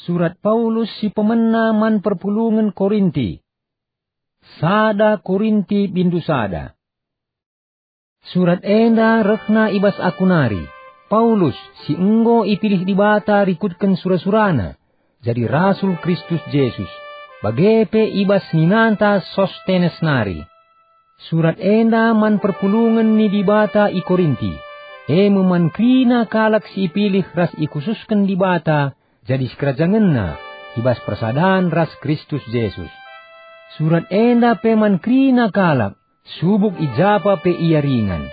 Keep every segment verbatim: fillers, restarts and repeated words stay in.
Surat Paulus si pemena man perpulungen Korinti. Sada Korinti bindu sada. Surat enda rehna i bas aku nari, Paulus, si enggo ipilih Dibata rikutken sura-surana, jadi rasul Kristus Jesus, bage pe i bas ninanta Sostenes nari. Surat enda man perpulungen ni Dibata i Korinti, e me man kerina kalak si ipilih ras ikhususken Dibata jadi sikerajangenNa i bas persadan ras Kristus Jesus. Surat enda pe man kerina kalak, subuk i japa pe ia ringan,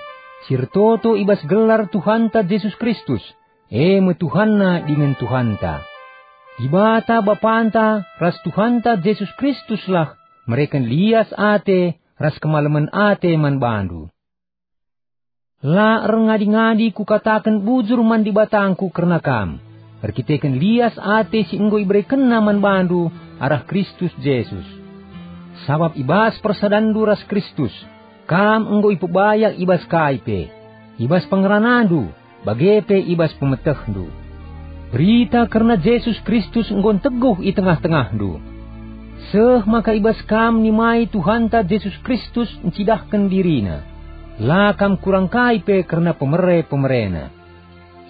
si ertoto i bas gelar Tuhanta Jesus Kristus, e me Tuhanna dingen Tuhanta. Dibata Bapanta ras Tuhanta Jesus Kristuslah mereken lias ate ras kemalemen ate man bandu. La erngadi-ngadi kukataken bujur man Dibatangku kerna kam, erkiteken lias ate si enggo iberekenNa man bandu arah Kristus Jesus. Sabap i bas persadanndu ras Kristus, kam enggo ipebayak i bas kai pe, i bas pengeranandu, bage pe i bas pemetehndu. Berita kerna Jesus Kristus enggo nteguh i tengah-tengahndu. Seh maka i bas kam nimai Tuhanta Jesus Kristus ncidahken diriNa. La kam kurang kai pe kerna pemere-pemereNa.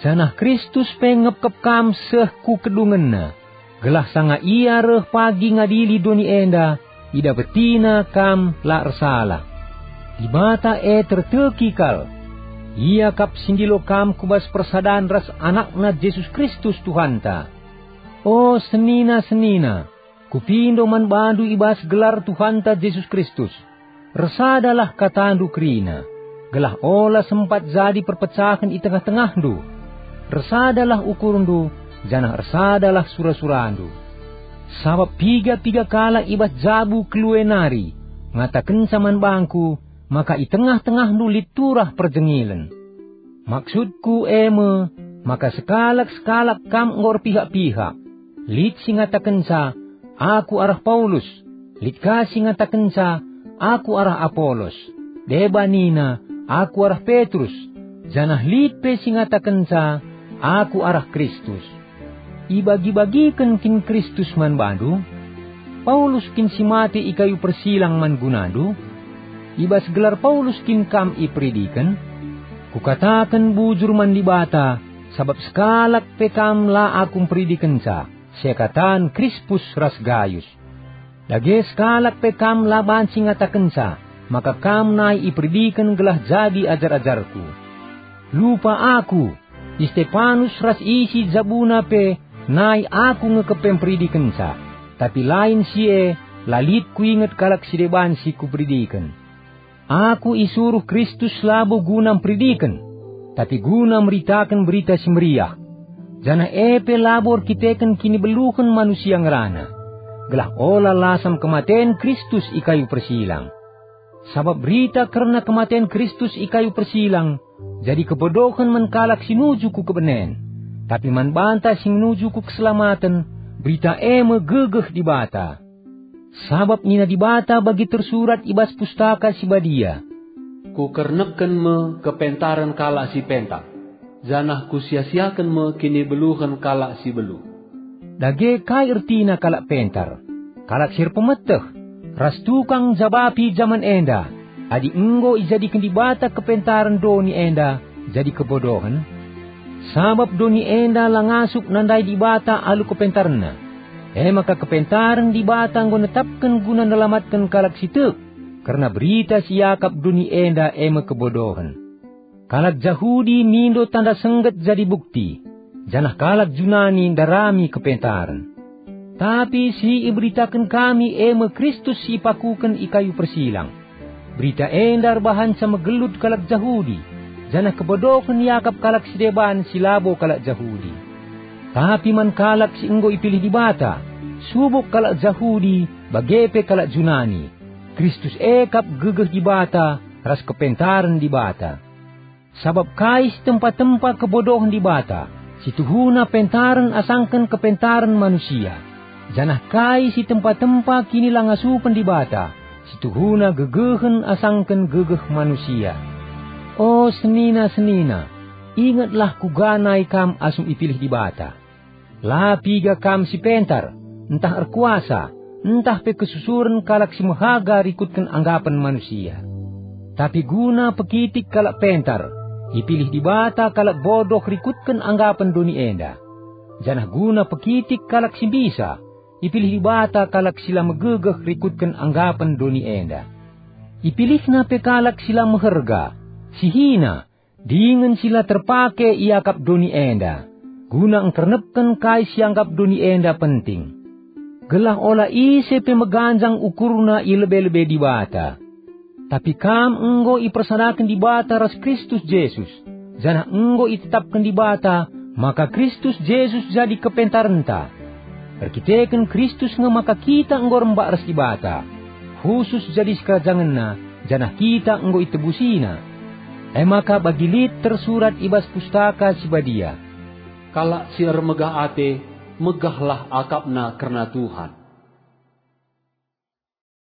Janah Kristus pe ngepkep kam seh ku kedungenNa, gelah sanga Ia reh pagi ngadili doni enda, idapetiNa kam la ersalah. Dibata e terteki kal. Ia kap si ndilo kam ku bas persadan ras AnakNa Jesus Kristus Tuhanta. O senina-senina, kupindo man bandu i bas gelar Tuhanta Jesus Kristus. Ersadalah katandu kerina, gelah ola sempat jadi perpecahen i tengah-tengahndu. Ersadalah ukurndu, janah ersadalah sura-surandu. Sabap piga-piga kalak i bas jabu kelue nari ngatakenca man bangku maka i tengah-tengahndu lit turah perjengilen. Maksudku e me maka sekalak-sekalak kam enggo erpihak-pihak. Lit si ngatakenca, "Aku arah Paulus," lit ka si ngatakenca, "Aku arah Apolos," deba nina, "Aku arah Petrus," janah lit pe si ngatakenca, "Aku arah Kristus." Ibagi-bagiken kin Kristus man bandu? Paulus kin si mate i kayu persilang man gunandu? I bas gelar Paulus kin kam iperidiken? Kukataken bujur man Dibata, sabap sekalak pe kam la aku mperidikenca, seakatan Krispus ras Gayus. Dage sekalak pe kam la banci ngatakenca maka kam nai iperidiken gelah jadi ajar-ajarku. Lupa aku, i Stepanus ras isi jabuna pe nai aku nge kepe mperidikenca, tapi lain si e, la lit kuinget kalak si deban si kuperidiken. Aku isuruh Kristus labo guna mperidiken, tapi guna meritaken Berita Si Meriah, janah e pe labo erkiteken kinibeluhen manusia ngerana, gelah ola lasam kematen Kristus i kayu persilang. Sabap berita kerna kematen Kristus i kayu persilang jadi kebodohen man kalak si nuju ku kebenen, tapi man banta si nuju ku keselamaten, berita e me gegeh Dibata. Sabap nina Dibata bagi tersurat i bas Pustaka Si Badia, "Kukernekken me kepentaren kalak si pentar, janah Kusia-siaken me kinibeluhen kalak si beluh." Dage kai ertina kalak pentar? Kalak si erpemeteh, ras tukang njabapi jaman enda, adi enggo ijadiken Dibata kepentaren doni enda jadi kebodohen? Sabap doni enda la ngasup nandai Dibata alu kepentarenNa. E maka kepentaren Dibata enggo netapken guna nelamatken kalak si tek, kerna berita si iakap doni enda e me kebodohen. Kalak Jahudi mindo tanda sengget jadi bukti, janah kalak Junani ndarami kepentaren. Tapi si iberitaken kami e me Kristus si ipakuken i kayu persilang. Berita enda erbahanca megelut kalak Jahudi, janah kebodohen iakap kalak si deban si labo kalak Jahudi. Tapi man kalak si enggo ipilih Dibata, subuk kalak Jahudi bage pe kalak Junani, Kristus e kap gegeh Dibata ras kepentaren Dibata. Sabap kai si tempa-tempa kebodohen Dibata, si tuhuna pentaren asangken kepentaren manusia, janah kai si tempa-tempa kinilangasupen Dibata, si tuhuna gegehen asangken gegeh manusia. O senina-senina, ingetlah kuga nai kam asum ipilih Dibata. La piga kam si pentar, ntah erkuasa, ntah pe kesusuren kalak si mehaga rikutken anggapen manusia. Tapi guna pekitik kalak pentar, ipilih Dibata kalak bodoh rikutken anggapen doni enda. Janah guna pekitik kalak si mbisa, ipilih Dibata kalak si la megegeh rikutken anggapen doni enda. IpilihNa pe kalak si la meherga, si hina, dingen si la terpake iakap doni enda, guna engkernepken kai si ianggap doni enda penting. Gelah ola ise pe meganjang ukurna i lebe-lebe Dibata. Tapi kam enggo ipersadaken Dibata ras Kristus Jesus, janah enggo itetapken Dibata maka Kristus Jesus jadi kepentarenta. Erkiteken Kristus nge maka kita enggo rembak ras Dibata, khusus jadi sikerajangenNa, janah kita enggo itebusina. E maka bagi lit tersurat i bas Pustaka Si Badia, "Kalak si ermegah ate, megahlah akapna kerna Tuhan."